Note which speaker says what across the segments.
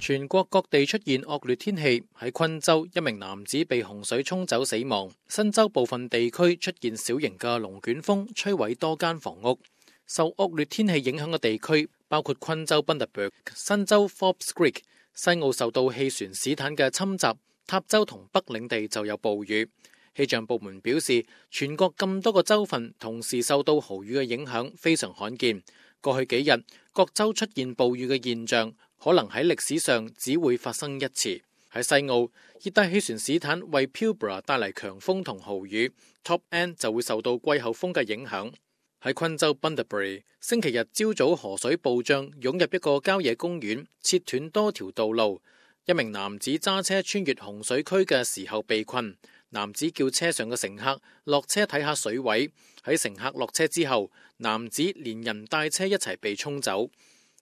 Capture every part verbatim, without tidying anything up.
Speaker 1: 全國各地出現惡劣天氣，喺昆州一名男子被洪水沖走死亡。新州部分地區出現小型嘅龍捲風，摧毀多間房屋。受惡劣天氣影響嘅地區包括昆州 Bundaberg、新州 Forbes Creek。西澳受到氣旋史坦嘅侵襲，塔州同北領地就有暴雨。氣象部門表示，全國咁多個州份同時受到豪雨嘅影響，非常罕見。過去幾日，各州出現暴雨嘅現象，可能喺歷史上只會發生一次。喺西澳，熱帶氣旋史坦為 Pilbara 帶嚟強風同豪雨 ，Top End 就會受到季候風嘅影響。喺昆州 Bundaberg， 星期日朝早河水暴漲，湧入一個郊野公園，切斷多條道路。一名男子揸車穿越洪水區嘅時候被困，男子叫車上嘅乘客落車睇下水位。喺乘客落車之後，男子連人帶車一齊被沖走。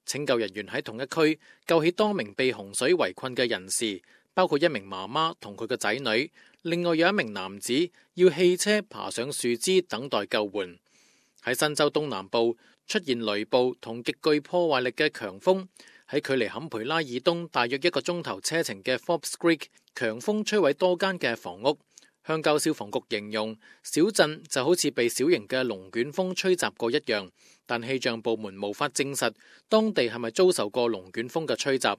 Speaker 1: 拯救人員喺同一區救起多名被洪水圍困嘅人士，包括一名媽媽同佢嘅仔女。另外有一名男子要汽車爬上樹枝等待救援。喺新州東南部出現雷暴同極具破壞力嘅強風，喺距離坎培拉以東大約一個鐘頭車程嘅 Forbes Creek， 強風摧毀多間嘅房屋。鄉郊消防局形容小鎮就好似被小型嘅龍捲風吹襲過一樣，但氣象部門無法證實當地係咪遭受過龍捲風嘅吹襲。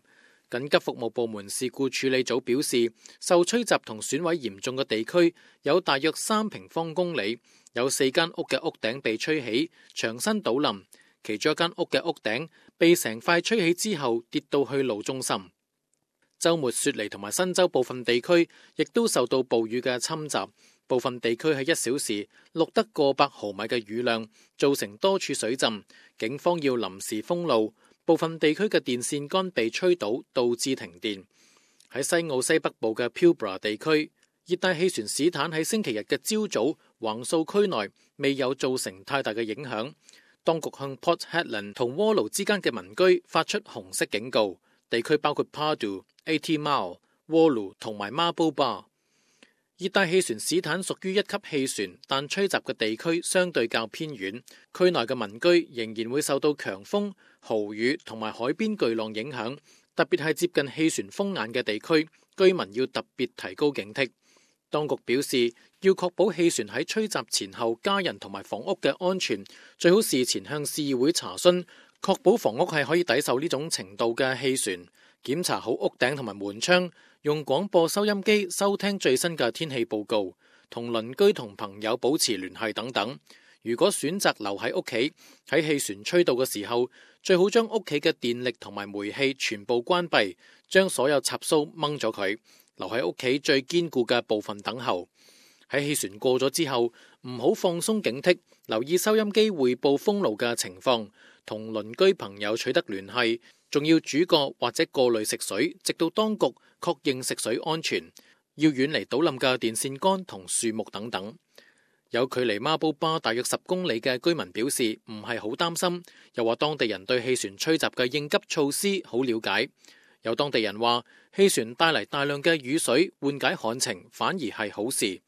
Speaker 1: 緊急服務部門事故處理組表示，受吹襲同損毀嚴重嘅地區有大約三平方公里，有四間屋嘅屋頂被吹起，牆身倒冧，其中一間屋嘅屋頂被成塊吹起之後跌到去路中心。週末雪梨同埋新州部分地區亦都受到暴雨嘅侵襲，部分地區喺一小時錄得過百毫米嘅雨量，造成多處水浸，警方要臨時封路，部分地區嘅電線桿被吹倒，導致停電。喺西澳西北部嘅 Pilbara 地區，熱帶氣旋史坦喺星期日嘅朝早橫掃區內，未有造成太大嘅影響。當局向 Port Hedland 同窩爐之間嘅民居發出紅色警告，地區包括 Pardu、eighty Mile、窩爐同埋 Marble Bar。熱帶氣旋史坦屬於一級氣旋，但吹襲嘅地區相對較偏遠，區內嘅民居仍然會受到強風、豪雨同埋海邊巨浪影響，特別係接近氣旋風眼嘅地區，居民要特別提高警惕。當局表示，要確保氣旋喺吹襲前後家人同埋房屋嘅安全，最好事前向市議會查詢，確保房屋係可以抵受呢種程度嘅氣旋。檢查好屋頂同埋門窗，用廣播收音機收聽最新嘅天氣報告，同鄰居同朋友保持聯繫等等。如果選擇留喺屋企，喺氣旋吹到嘅時候，最好將屋企嘅電力同埋煤氣全部關閉，將所有插蘇掹咗佢，留喺屋企最堅固嘅部分等候。喺氣旋過咗之後，唔好放鬆警惕，留意收音機匯報封路嘅情況，同鄰居朋友取得聯繫，仲要煮過或者過濾食水，直到當局確認食水安全。要遠離倒冧嘅電線桿同樹木等等。有距離 Marble Bar 大約十公里嘅居民表示唔係好擔心，又話當地人對氣旋吹襲嘅應急措施好了解。有當地人話氣旋帶嚟大量嘅雨水，緩解旱情反而係好事。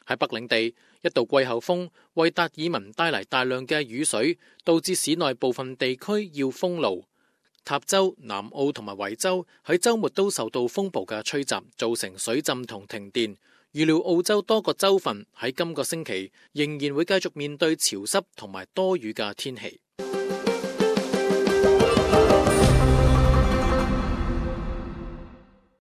Speaker 1: 喺北領地，一道季候風為達爾文帶嚟大量嘅雨水，導致市內部分地區要封路。塔州、南澳同埋維州喺週末都受到風暴嘅吹襲，造成水浸同停電。預料澳洲多個州份喺今個星期仍然會繼續面對潮濕同埋多雨嘅天氣。